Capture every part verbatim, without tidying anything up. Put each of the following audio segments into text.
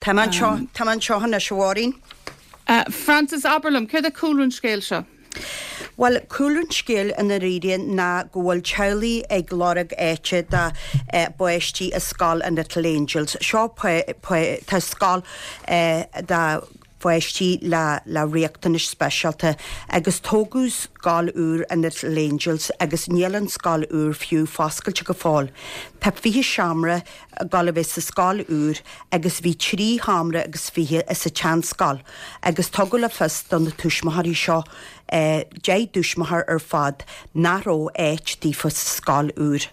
Tá mé anseo, tá mé anseo anois, a Mháirín. Frances, abair liom, céard é cúlra an scéil seo? Bhuel, cúlra an scéil i ndáiríre ná go bhfuil teaghlaigh ag lorg áite dá bpáistí i scoil an Little Angels. Seo tá scoil do pháistí le le riachtanais speisialta agus tógadh scoil úr an Little Angels agus níl an scoil úr fiú foscailte go fóill. Tá fiche seomra ag dul a bheith sa scoil úr agus bhí trí sheomra agus fiche sa tseanscoil agus tugadh le fios do na tuismitheoirí seo deich dtuismitheoir ar fad nach raibh áit daofa sa scoil úr.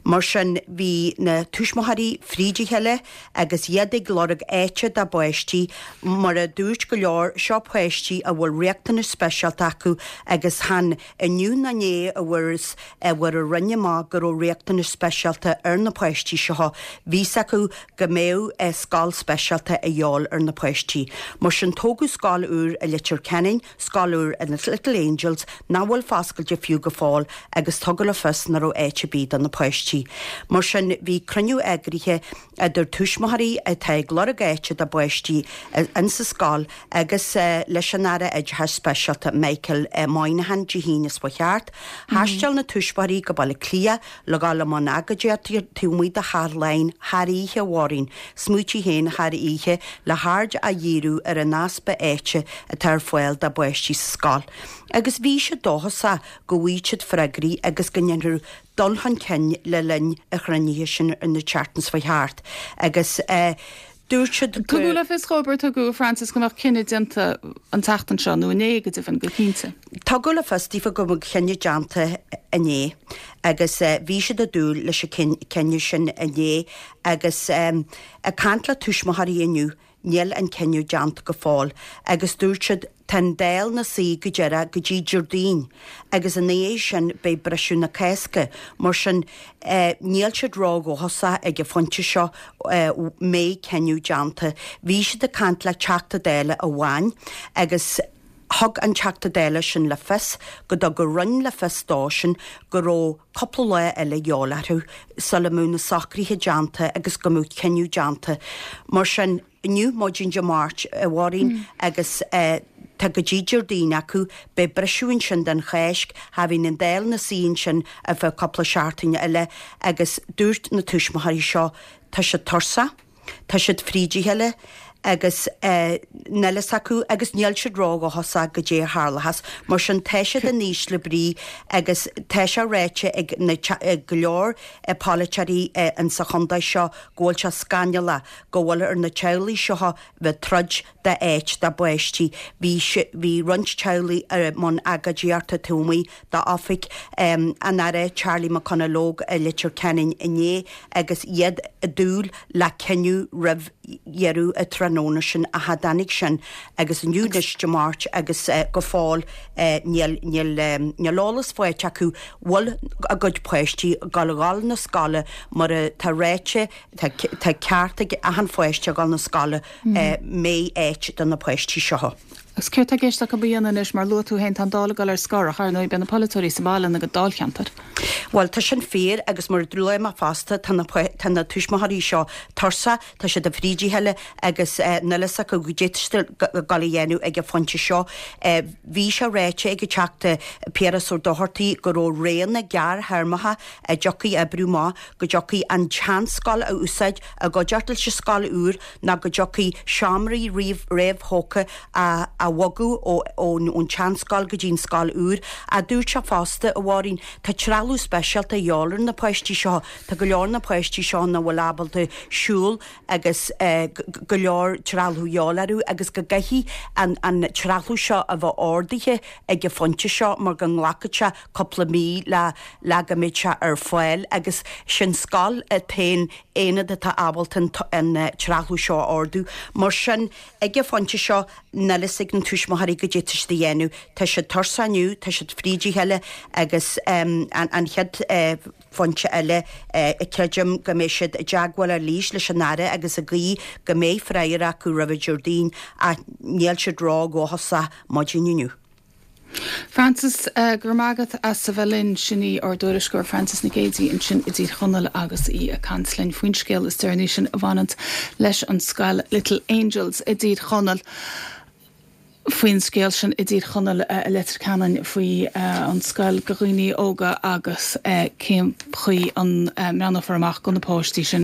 Mar sin bhí na tuismitheoirí fríd a chéile agus iad ag lorg áite dá bpáistí mar a dúirt go leor seo páistí a bhfuil riachtanais speisialta acu agus chan inniu ná inné a fuair a fuair an Roinn amach go raibh riachtanais speisialta ar na páistí seo bhí a fhios acu go mbeadh scoil speisialta a dhíobháil ar na páistí. Mar sin tógadh scoil úr i Leitir Ceanainn, scoil úr in Little Angels nach bhfuil foscailte fiú go fóill agus tugadh le fios nach raibh áit ar bith do na páistí. Mar sin bhí cruinniú eagraithe idir tuismitheoirí atá ag lorg áite dá bpáistí insa scoil agus leis an Aire Oideachais Speisialta Michael Moynihan Dé hAoine seo thart. Thaistil na tuismitheoirí go Baile Átha Cliath le dhul i mbun agóidíochta taobh amuigh de Theach Laighean thar oíche, a Mháirín, smaoitigh féin thar oíche le haird a dhíriú ar an easpa áite atá ar fáil dá bpáistí sa scoil. Agus bhí siad dóchasach go bhfaighidh siad freagraí agus go ndéanfar dul chun cinn le linn an chruinnithe sin ar na tseachtain seo thart. Agus eh, dúirt siad Tugadh le fios chóir tugadh Frances go mbeadh cinneadh déanta an tseachtain seo nó inné go deimhin go cinnte. Tugadh le fios daofa go mbeadh cinneadh déanta inné agus uh, bhí siad ag dúil leis an cinneadh sin inné agus um, ag caint le tuismitheoirí inniu níl an cinneadh déanta go fóill agus dúirt siad tá an Dáil ina suí go deireadh go dtí Déardaoin agus ina dhiaidh sin beidh briseadh na Cásca mar sin eh, níl siad ródhóchasach ag an phointe seo eh, mbeidh cinneadh déanta. Bhí siad ag caint le Teachta Dála amháin agus thug an Teachta Dála sin le fios go dtug an Roinn le fios dó sin go raibh cúpla lá eile de dhíobháil orthu sula mbeadh na socruithe déanta agus go mbeadh cinneadh déanta. Mar sin inniu maidin Dé Máirt a Mháirín mm. agus eh, tá go dtí Déardaoin acu beidh briseadh ansin den Cháisc cha bhíonn an Dáil ina suí ansin ar feadh cúpla seachtaine eile agus dúirt na tuismitheoirí seo tá siad tuirseach, tá siad fríd a chéile agus eh, níl a fhios acu agus níl siad ródhóchasach goidé a tharlós, mar sin tá siad in ísle brí agus tá sé ráite ag na ag go leor eh, polaiteoirí eh, in sa chontae seo go bhfuil sé scannalach go bhfuil ar na teaghlaigh seo bheith troid d'áit dá bpáistí. Bhí bhí roinnt teaghlaigh ar mbun agóidíochta taobh amuigh d'oifig um, an Aire Charlie McConalogue i Leitir Ceanainn inné agus iad ag dúil le cinneadh roimh dheireadh an tráthnóna sin a tháinig sin agus inniu anois Dé Máirt agus uh, go fóill uh, níl níl um, níl eolas faighte acu bhfuil a gcuid páistí ag gabháil na scoile mar tá ráite tá ceart ag achan pháiste gabháil na scoile mm. uh, mbeidh áit do na páistí seo. Agus céard atá i gceist acu a dhéanamh anois mar luaigh tú féin tá an Dáil ag dul ar scor ach ar ndóigh beidh na polaiteoirí sa bhaile ina dáilcheantar. Well tá sin fíor agus mar dúirt mé fosta tá na tuismitheoirí seo tuirseach tá siad fríd a chéile agus eh, níl a fhios acu goidé a dhéanamh ag an phointe seo. Eh, bhí sé ráite ag an Teachta Piaras Ó Dochartaigh go raibh roghanna gearrthéarmacha a dtiocfaidh oibriú má go dtiocfaidh an tseanscoil a úsáid i gcuideachta leis an scoil úr ná go dtiocfaidh seomraí riamh réamhthógtha a a bhogadh ón tseanscoil go dtí an scoil úr a dúirt sé fosta a Mháirín tá trealamh speisialta de dhíobháil ar na páistí seo tá go leor na páistí seo nach bhfuil ábalta siúl agus eh, go leor trealamh de dhíobháil orthu agus go gcaithfidh an, an trealamh seo a bheith ordaithe ag an phointe seo mar go nglacfaidh sé cúpla mí le le go mbeidh sé ar fáil agus sin scoil an t-aon aonad atá ábalta an trealamh seo a ordú mar sin ag an phointe seo níl a fhios ag na tuismitheoirí goidé atá siad a dhéanamh Tá siad tuirseach inniu tá siad fríd a chéile agus um, an, an chéad uh, phointe eile uh, creidim go mbeidh siad i dteagmháil arís leis an Aire agus ag guí go mbeidh freagra acu roimh Déardaoin a níl siad ródhóchasach maidin inniu. Frances uh, gur magat as a bheith sin í ár dtuairisceoir Frances Nic Géadaigh ansin i dTír Chonaill agus í ag caint linn faoin scéal is deireanaí sin a bhaineann leis an scoil Little Angels i dTír Chonaill. faoin scéal sin i dTír Chonaill uh, Leitir Ceanainn faoi uh, an scoil do dhaoine óga agus uh, cén chaoi an uh, mbreathnófar amach do na páistí sin.